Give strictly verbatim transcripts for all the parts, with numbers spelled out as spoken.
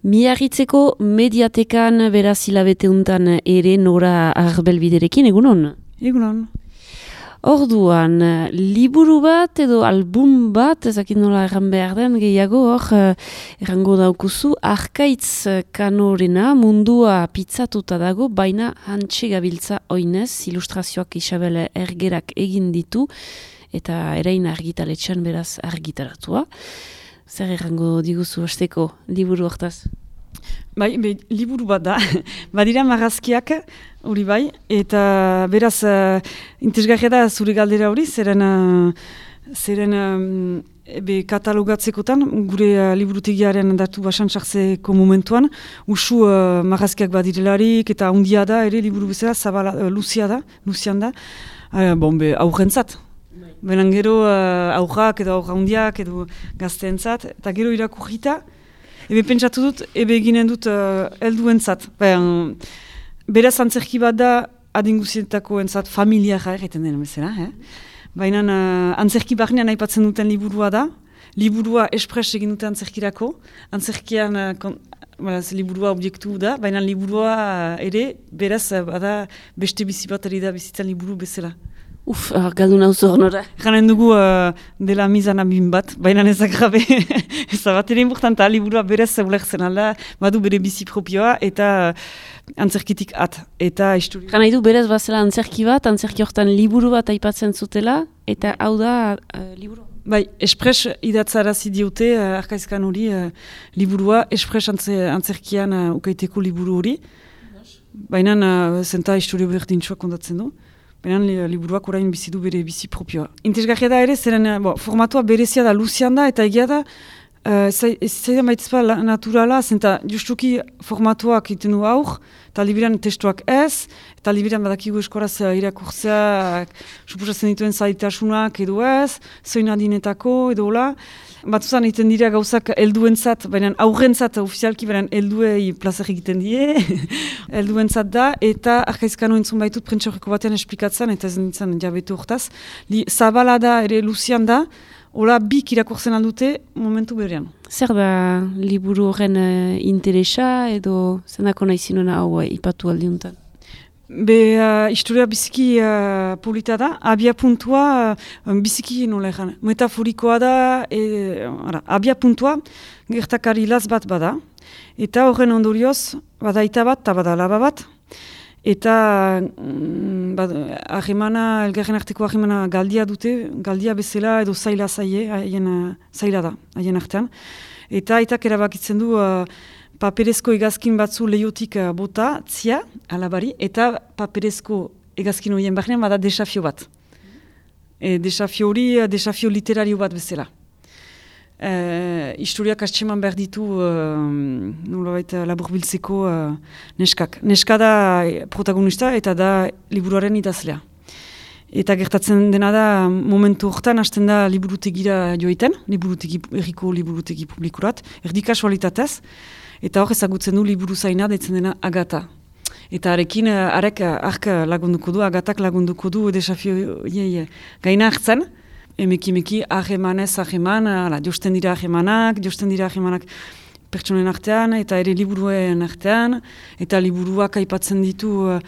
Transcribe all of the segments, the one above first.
Miarritzeko mediatekan beraz hilabete untan ere Nora Arbelbiderekin, egunon? Egunon. Orduan, liburu bat edo album bat, ezakit nola erran behar den, gehiago hor, errango daukuzu, Arkaitz kanorena mundua pizzatuta dago, baina hantxe gabiltza oinez, ilustrazioak Isabel Ergerak egin ditu, eta erain argitaletxan beraz argitaratua. Zer errango diguzu hasteko liburu hortaz? Bai, be, liburu bat da. Badira marrazkiak, hori bai, eta beraz, uh, interesgarria da zure galdera hori, zeren, uh, zeren um, be, katalogatzekotan, gure uh, liburutegiaren datu basan txartzeko momentuan, usu uh, marrazkiak badirelarik, eta hundia da, ere liburu bezala, zabala, uh, luzia da, luzian da, uh, bon, be, aurrentzat. Benen gero uh, aurrak edo aurra hundiak edo gazteentzat, eta gero irakurrita, ebe pentsatu dut, ebe eginen dut uh, helduentzat. Ben, beraz antzerki bat da adinguzietako entzat familiara egiten den bezala. Eh? Baina uh, antzerki barnean aipatzen duten liburua da, liburua espres egin dute antzerkirako, antzerkian uh, kon, beraz, liburua objektu da, baina liburua uh, ere beraz uh, bada beste bizi bat ari da bizitzan liburu bezala. Uf, galdun hau zor nora. Ganen dugu uh, dela mizan abin bat, baina ezak gabe. Ez da bat ere importanta, liburua berez ulertzen alda, badu bere bizi propioa eta uh, antzerkitik at. Eta historia. Gana du berez bazela antzerki bat, antzerki hortan liburu bat aipatzen zutela, eta hau da uh, liburu. Bai, espres idatzarazi diote, uh, Arkaizkan hori, uh, liburua, espres antzerkian uh, ukaiteko liburu hori. Baina uh, zenta historia berdintxoa kontatzen du. Beran liburuak orain bizi du bere bizi propioa. Interesgarria da ere, zeren bo, formatua berezia da, luzian da, eta egia da, ez uh, zaidan baitizpa naturala, zenta justuki formatuak iten du aur, eta libiran testuak ez, eta libiran badakigu eskoraz uh, irakurtzea, suposatzen dituen zaitasunak edo ez, zoin adinetako edo hola. Batuzan egiten dira gauzak helduentzat, baina aurrentzat ofizialki, baina helduei plazer egiten die, helduentzat da, eta Arkaizkano entzun baitut prentsaurreko batean esplikatzen, eta ez nintzen jabetu hortaz. Li, zabala da, ere luzian da, hola bik irakurtzen aldute momentu berean. Zer da liburu horren uh, interesa edo zendako nahi zinuna hau uh, ipatu aldiuntan? Be, uh, historia biziki uh, polita da, abia puntua uh, biziki nola egan, metaforikoa da, e, ara, abia puntua gertakari laz bat bada, eta horren ondorioz, bada ita bat, eta bada laba bat, eta mm, ahemana, elgarren arteko ahemana galdia dute, galdia bezala edo zaila zaie, haien uh, zaila da, haien artean, eta aitak erabakitzen du, uh, paperezko egazkin batzu lehiotik uh, bota, tzia, alabari, eta paperezko egazkin horien barnean bada desafio bat. E, desafio hori, desafio literario bat bezala. E, historiak astseman behar ditu, uh, nolabait laburbiltzeko uh, neskak. Neska da protagonista eta da liburuaren idazlea. Eta gertatzen dena da, momentu hortan hasten da liburutegira joiten, liburutegi, erriko liburutegi publikurat, erdi kasualitatez, eta hor ezagutzen du liburu zaina deitzen dena Agata. Eta arekin, arek ark lagunduko du, Agatak lagunduko du desafio ie, gaina hartzen, emeki emeki ahemanez aheman, josten dira ahemanak, josten dira ahemanak pertsonen artean, eta ere liburuen artean, eta liburuak aipatzen ditu uh,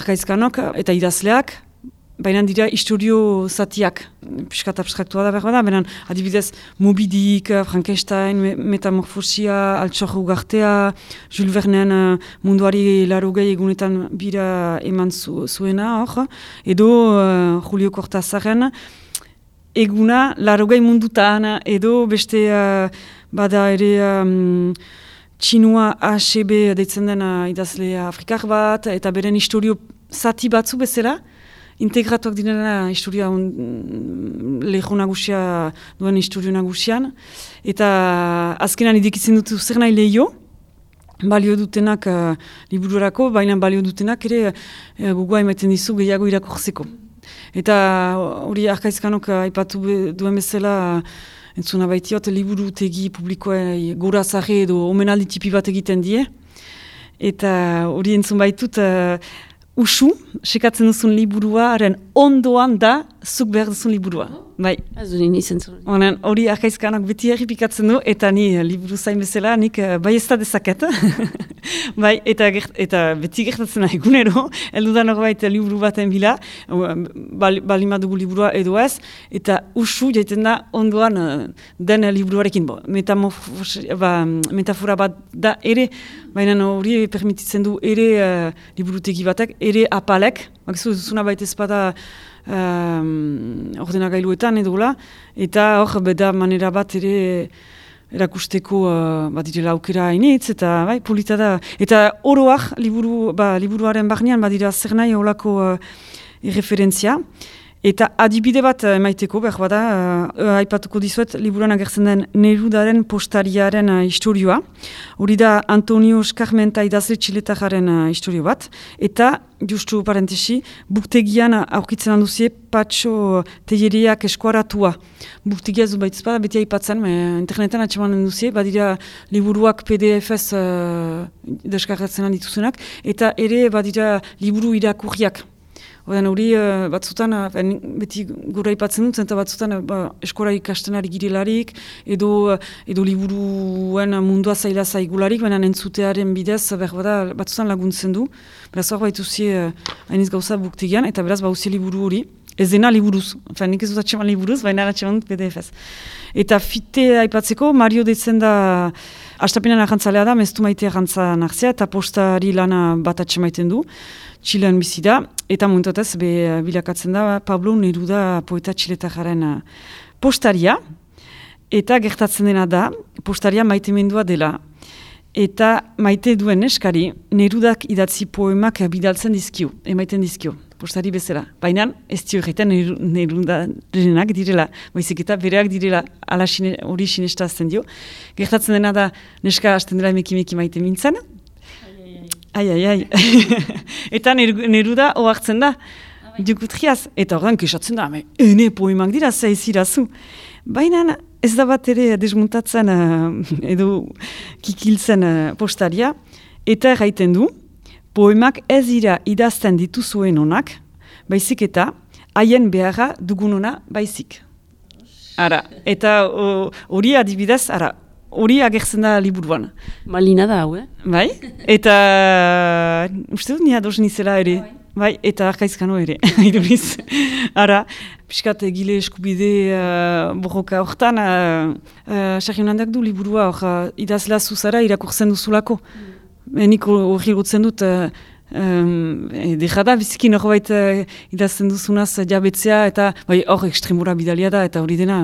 Arkaizkanok eta idazleak, baina dira historio zatiak, piskat abstraktua da behar bada, baina adibidez Moby Dick, Frankenstein, me Metamorfosia, Altxor Ugartea, Jules Vernen uh, munduari larogei egunetan bira eman zu, zuena hor, edo uh, Julio Cortázarren eguna larogei mundutan, edo beste uh, bada ere um, Txinua A C B deitzen dena idazle afrikar bat, eta beren historio zati batzu bezala, integratuak direna historia um, leho nagusia duen historio nagusian, eta azkenan idekitzen dut zer nahi lehio, balio dutenak uh, libururako, baina balio dutenak ere uh, gogoa ematen dizu gehiago irakurtzeko. Eta hori Arkaizkanok aipatu duen bezala, uh, entzuna baitiot, liburutegi publikoa gora zahe edo omenaldi tipi bat egiten die, eta hori entzun baitut, uh, usu, sekatzen duzun liburuaren ondoan da, zuk behar duzun liburua. bai. Ez du nini zentzun. Honen, hori arkaizkanak beti erripikatzen du, eta ni liburu zain bezala, nik bai ez da dezaket. Bai, eta, gert, eta beti gertatzen da egunero, heldudan horbait liburu baten bila, bal, balima dugu liburua edo ez, eta usu jaiten da ondoan den liburuarekin. Bo, ba, metafora bat da ere, baina hori permititzen du ere uh, liburutegi batek, ere apalek, bakizu duzuna baita ezpada um, ordenagailuetan edola, eta hor beda manera bat ere erakusteko uh, bat direla aukera hainitz, eta bai, polita da. Eta oroak, liburu, ba, liburuaren barnean, badira zer nahi holako uh, referentzia. Eta adibide bat emaiteko, behar bada, uh, aipatuko dizuet, liburuan agertzen den Nerudaren postariaren uh, historioa. Hori da Antonio Eskarmenta idazle txiletajaren uh, historio bat. Eta, justu parentesi, buktegian aurkitzen handuzie Patxo Teieriak eskuaratua. Buktegia zu baitz bada, beti aipatzen, me, internetan atxeman handuzie, badira liburuak P D F-ez uh, deskargatzen handituzenak, eta ere badira liburu irakurriak. Oden hori uh, batzutan, uh, beti gura ipatzen dut, eta batzutan uh, ba, eskora ikastenari girelarik, edo, uh, edo liburuen mundua zaila zaigularik, baina entzutearen bidez, berbada, batzutan laguntzen du. Beraz hor baituzie uh, hainiz gauza buktegian, eta beraz bauzie liburu hori. Ez dena liburuz, enfin, nik ez dut atxeman liburuz, baina atxeman dut P D F-ez. Eta fite aipatzeko, Mario deitzen da, hastapenean ahantzalea da, meztu maite ahantza nartzea, eta postari lana bat atxemaiten du, Txilean bizi da, eta momentatez be bilakatzen da Pablo Neruda poeta txiletajaren postaria, eta gertatzen dena da, postaria maitemendua dela. Eta maite duen neskari, Nerudak idatzi poemak bidaltzen dizkio, emaiten dizkio, postari bezala. Baina ez dio egiten Nerudarenak direla, baizik eta bereak direla, ala hori sinestazten dio. Gertatzen dena da, neska hasten dela emeki-meki maite mintzen, Ai, ai, ai. Eta Neruda ohartzen da, dukutriaz. Eta horren kesatzen da, ene poemak dira, zaizirazu. Baina ez da bat ere desmuntatzen edo kikiltzen postaria. Eta erraiten du, poemak ez dira idazten dituzuen onak, baizik eta haien beharra dugunona baizik. Ara, eta hori adibidez, ara, hori agertzen da liburuan. Malina da, hau, eh? Bai, eta uste dut nia doz nizela ere. Bai, eta arkaizkano ere, iduriz. Ara, piskat egile eskubide uh, borroka hortan, sarri uh, uh, du liburua, hor, uh, idazla zuzara irakurtzen duzulako. Mm. Nik hori gutzen dut, uh, um, dejada, bizikin hor baita uh, idazten duzunaz uh, jabetzea, eta bai, hor ekstremura bidalia da, eta hori dena,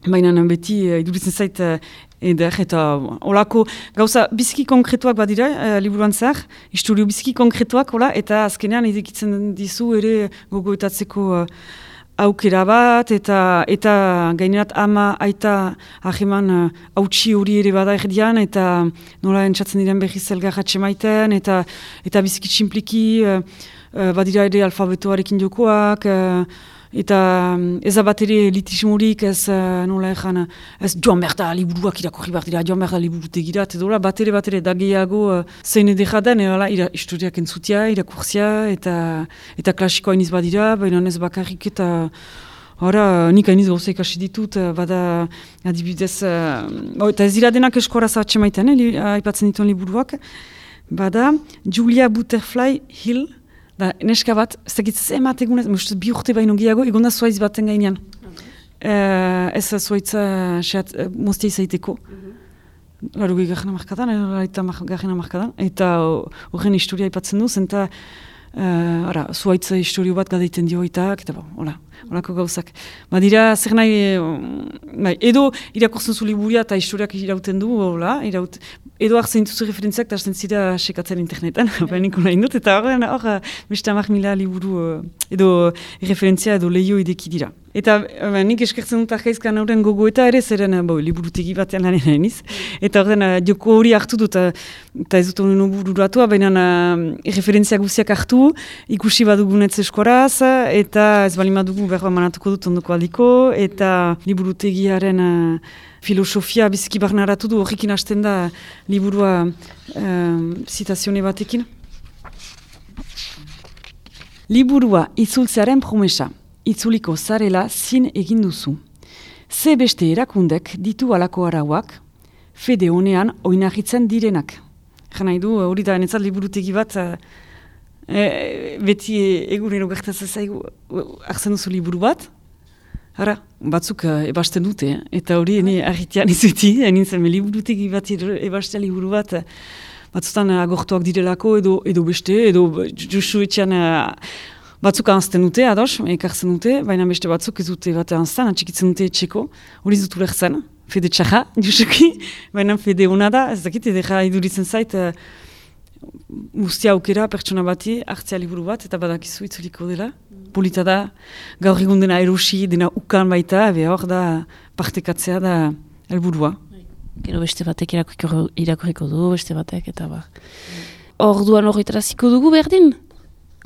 baina beti uh, iduritzen zait, uh, Eder, eta olako gauza biziki konkretuak badira, uh, liburuan zehar, historio biziki konkretuak, hola, eta azkenean edekitzen dizu ere gogoetatzeko uh, aukera bat, eta eta gainerat ama aita aheman hautsi uh, hori ere bada erdian, eta nola entzatzen diren berriz elgarratxe maiten, eta, eta biziki tximpliki uh, uh, badira ere alfabetoarekin jokoak, uh, eta ez da bat ere litismorik, ez uh, nola ezan, ez joan behar da liburuak irakurri behar dira, joan behar da liburutegira, eta dola bat ere bat ere da gehiago uh, zein edera den, ira, historiak entzutia, irakurzia, eta, eta klasikoa iniz badira, baina ez bakarrik eta hora, nik hainiz gauza ikasi ditut, bada adibidez, uh, eta ez dira denak eskora zahatxe maiten, eh, aipatzen dituen liburuak, bada Julia Butterfly Hill, da, neska bat, ez dakit zemat egunez, bi urte baino gehiago, egon da zuaiz baten gainean. Okay. Uh, ez zuaitza seat, uh, moztia izaiteko. Mm-hmm. Laro gehi gajena markadan, eta gajena markadan, eta horren historia ipatzen du, zenta uh, zuaitza historio bat gadeiten dio itak, eta bo, hola, holako gauzak. Badira, zer nahi, bai, edo irakurtzen zu liburia eta historiak irauten du, hola, iraut, edo hartzen dituzu referentziak eta hartzen zira sekatzen internetan, baina niko nahi dut, eta hor, hor, beste amak mila liburu, edo referentzia edo lehio ideki dira. Eta ba, nik eskertzen dut arkaizkan horren gogoeta ere, zeren bo, liburutegi batean lanen hainiz. Eta horren joko hori hartu dut, eta ez dut honen bururatua, baina uh, referentzia guziak hartu, ikusi badugunetz eskoraz, eta ez bali madugu berba manatuko dut ondoko aldiko, eta liburutegiaren uh, filosofia biziki barnaratu du, horrekin hasten da liburua uh, zitazione batekin. Liburua itzultzearen promesa. itzuliko zarela zin egin duzu. Ze beste erakundek ditu alako arauak, fede honean oinarritzen direnak. Jan nahi du, hori da, netzat liburutegi bat, e, beti egunero gertatzen zaigu, hartzen duzu liburu bat, Hara, batzuk uh, ebasten dute, eh? Eta hori ene argitean izuti, nintzen liburutegi bat ebastea liburu bat, batzutan agortuak direlako edo, edo beste, edo justu etxean uh, batzuk anzten dute, ados, ekartzen dute, baina beste batzuk ez dute bat anzten, atxikitzen dute etxeko, hori zutu lehzen, fede txaja, justuki, baina fede hona da, ez dakit, edera iduritzen zait, uh, guztia aukera pertsona bati hartzea liburu bat, eta badakizu itzuliko dela. Polita da, gaur egun dena erosi, dena ukan baita, ebe hor da partekatzea da helburua. Gero beste batek irakurriko du, beste batek, eta ba. Orduan horretaraziko dugu berdin?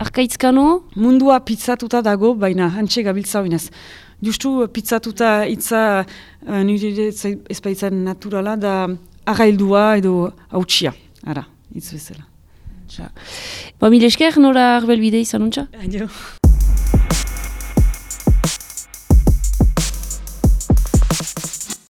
Arkaitzkano? Mundua pizzatuta dago, baina hantxe gabiltza oinez. Justu pizzatuta itza uh, nire ezpaitzan naturala da arraildua edo hautsia. Ara, hitz bezala. Ba, mil esker, nora arbelbide izan untxa? Adio.